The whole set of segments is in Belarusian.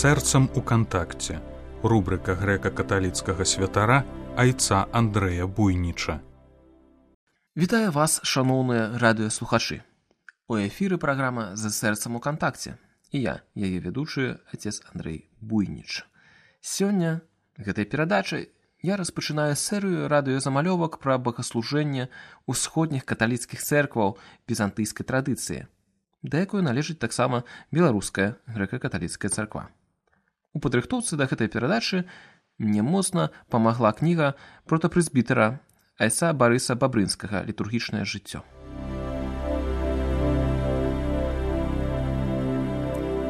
Сэрцам у кантакце. Рубрика грэка-каталіцкага святара айца Андрэя Буйніча. Вітаю вас, шаноўныя радыёслухачы. У эфіры праграма «За сэрцам у кантакце». І я, яе ведучы, отец Андрэй Буйніч. Сёння гэтай перадачай я распачынаю серыю радыёзамалёвак пра богаслужэнне ўсходніх каталіцкіх цэркваў візантыйскай традыцыі, да якой належыць таксама беларуская грэка-каталіцкая царква. У падрыхтоўцы да гэтай перадачы мне моцна памагла кніга протапрэзбітэра айца Барыса Бабрынскага «Літургічнае жыццё».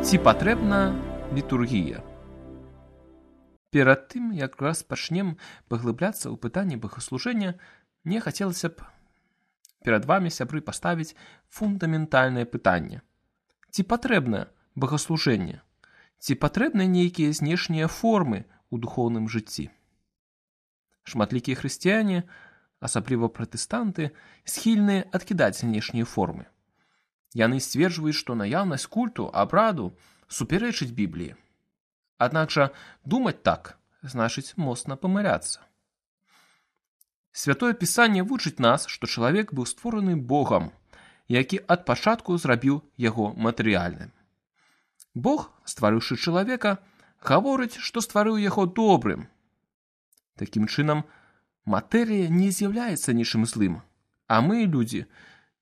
Ці патрэбна літургія? Перад тым, як распачнем паглыбляцца ў пытанні богаслужэння, мне хацелася б перад вамі, сябры, паставіць фундаментальнае пытанне. Ці патрэбна богаслужэнне? Ці патрэбны нейкія знешнія формы ў духоўным жыцці? Шматлікія хрысціяне, асабліва пратэстанты, схільныя адкідаць знешнія формы. Яны сцверджваюць, што наяўнасць культу, абраду супярэчыць Бібліі. Аднак жа думаць так значыць моцна памыляцца. Святое Пісанне вучыць нас, што чалавек быў створаны Богам, які ад пачатку зрабіў яго матэрыяльным. Бог, стварыўшы чалавека, гаворыць, што стварыў яго добрым. Такім чынам, матэрыя не з'яўляецца нічым злым, а мы, людзі,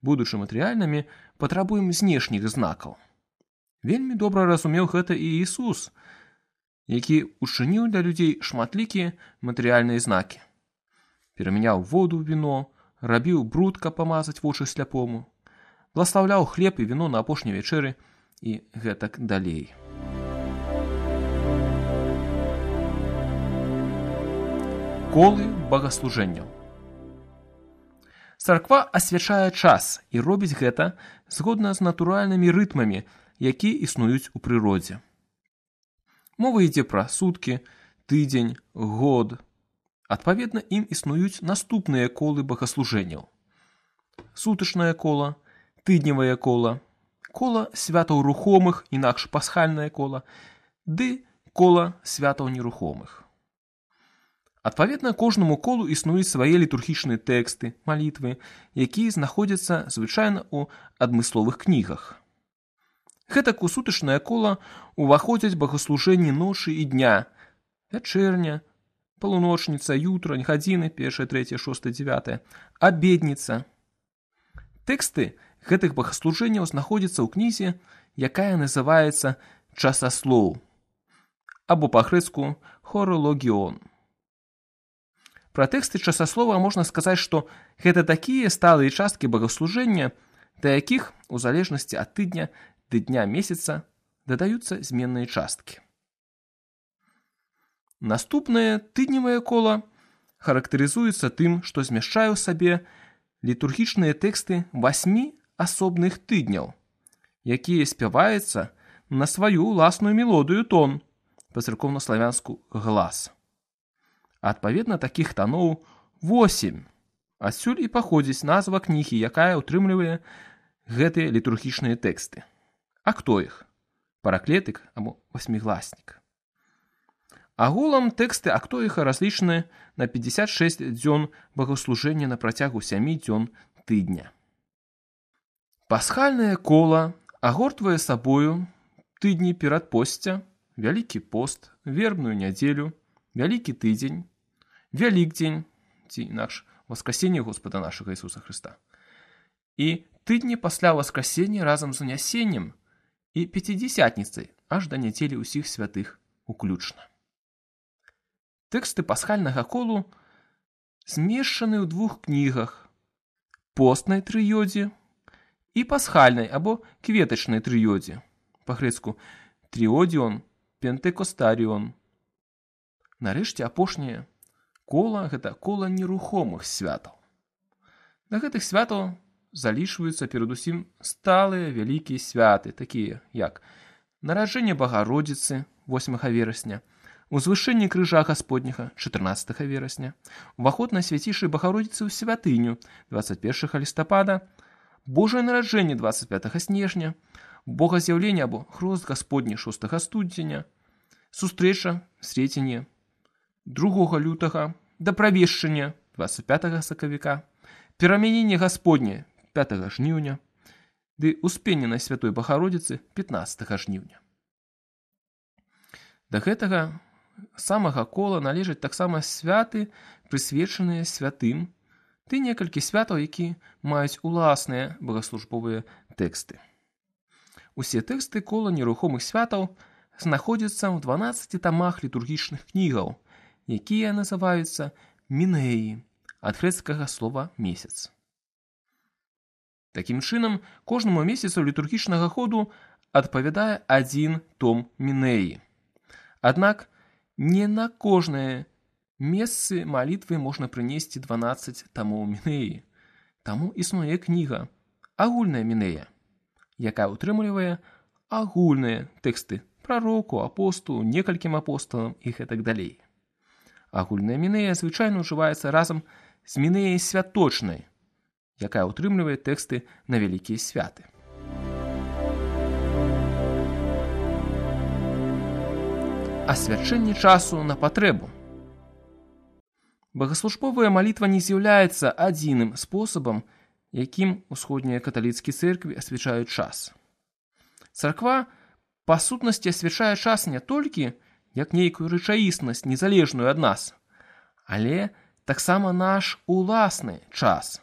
будучы матэрыяльнымі, патрабуем знешніх знакаў. Вельмі добра разумеў гэта і Ісус, які учыніў для людзей шматлікія матэрыяльныя знакі. Перамяняў воду ў віно, рабіў бруд, каб памазаць вочы сляпому, бласлаўляў хлеб і віно на апошняй вячэры і гэтак далей. Колы богаслужэнняў. Царква асвячае час і робіць гэта згодна з натуральнымі рытмамі, якія існуюць у прыродзе. Мова ідзе пра суткі, тыдзень, год. Адпаведна, ім існуюць наступныя колы богаслужэнняў. Сутачнае кола, тыдневае кола, кола святаў рухомых, інакш пасхальнае кола, ды кола святаў нерухомых. Адпаведна, кожнаму колу існуюць свае літургічныя тэксты, малітвы, якія знаходзяцца звычайна ў адмысловых кнігах. Гэтак у сутачнае кола ўваходзяць богаслужэнні ночы і дня, вячэрня, палуночніца, ютрань, гадзіны, 1, 3, 6, 9, абедніца. Тэксты гэтых богаслужэнняў знаходзяцца ў кнізе, якая называецца «Часаслоў», або па-грэцку «Хорологіон». Пра тэксты часаслова можна сказаць, што гэта такія сталыя часткі богаслужэння, да якіх, у залежнасці ад тыдня ды дня месяца, дадаюцца зменныя часткі. Наступнае тыдневае кола характарызуецца тым, што змяшчае ў сабе літургічныя тэксты 8 асобных тыдняў, якія спяваюцца на сваю ўласную мелодыю тон, па-царкоўна-славянску глас. Адпаведна, такіх тоноў 8. Адсюль і паходзіць назва кнігі, якая ўтрымлівае гэтыя літургічныя тэксты. А хто іх? Параклетык або васьмігласнік. Агулам тэксты актоіха разлічаны на 56 дзён богаслужэння на працягу 7 дзён тыдня. Пасхальнае кола агортвае сабою тыдні перадпосця, Вялікі пост, вербную нядзелю, Вялікі тыдзень, Вялікдзень, ці інакш Воскресенне Господа нашага Ісуса Хрыста, і тыдні пасля Воскресення разам з унясеннем і Пяцідзясятніцай аж да нядзелі ўсіх святых уключна. Тэксты пасхальнага колу змешчаны ў 2 кнігах: постнай трыёдзе і пасхальнай або кветачнай трыёдзе, па-грэцку тріодіон, пентекостаріон. Нарэшце, апошняе кола – гэта кола нерухомых святаў. Да гэтых святаў залічваюцца перадусім сталыя вялікія святы, такія як нараджэнне Багародзіцы 8 верасня, узвышэнне крыжа Гасподняга 14 верасня, уваход на свяцейшай Багародзіцы ў святыню 21 лістапада, Божае нараджэнне 25 снежня, Богаз'яўленне або хрост Гасподні 6 студзеня, Сустрэча Среціне 2 лютага, да правешчання 25 сакавіка, перамяненне Гасподне 5 жніўня, ды успенне Святой Бахародзіцы 15 жніўня. Да гэтага самага кола належаць таксама святы, прысвечаныя святым, ды некалькі святаў, якія маюць уласныя богаслужбовыя тэксты. Усе тэксты кола нерухомых святаў знаходзяцца ў 12 тамах літургічных кнігаў, якія называюцца мінеі, ад грэцкага слова месяц. Такім чынам, кожнаму месяцу літургічнага ходу адпавядае адзін том мінеі. Аднак, не на кожнае месцы малітвы можна прынесці 12 тамоў мінеі. Таму існуе кніга «Агульная мінея», якая ўтрымлівае агульныя тэксты прароку, апостолу, некалькім апосталам і гэтак далей. Агульная мінея звычайна ўжываецца разам з мінеяй святочнай, якая ўтрымлівае тэксты на вялікія святы. Асвячэнне часу на патрэбу. Богаслужбовая малітва не з'яўляецца адзіным спосабам, якім усходнія каталіцкія цэркві асвячаюць час. Царква, па сутнасці, асвячае час не толькі як нейкую рэчаіснасць, незалежную ад нас, але таксама наш уласны час.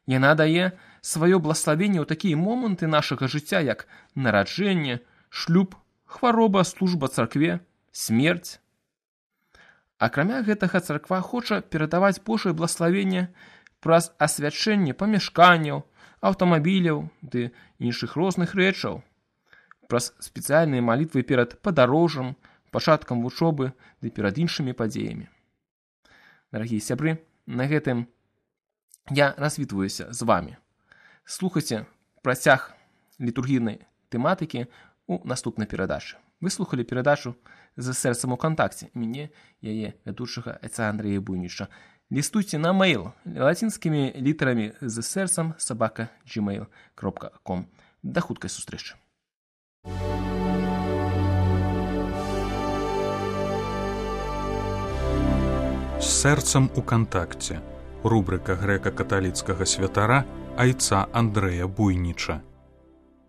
Яна дае сваё блаславенне ў такія моманты нашага жыцця, як нараджэнне, шлюб, хвароба, служба царкве, смерць. Акрамя гэтага, царква хоча перадаваць Божае блаславенне праз асвячэнне памяшканняў, аўтамабіляў ды іншых розных рэчаў, праз спецыяльныя малітвы перад падарожжам, пачаткам вучобы ды перад іншымі падзеямі. Дарагія сябры, на гэтым я развітваюся з вамі. Слухайце працяг літургійнай тэматыкі ў наступнай перадачы. Вы слухалі перадачу «За сэрцам у кантакце». Мяне, яе вядучага айца Андрэя Буйніча. Лістуйце на мейл лацінскімі літарамі «За сэрцам @gmail.com». Да хуткай сустрэчы. З сэрцам у кантакце. Рубрика грэка-каталіцкага святара айца Андрэя Буйніча.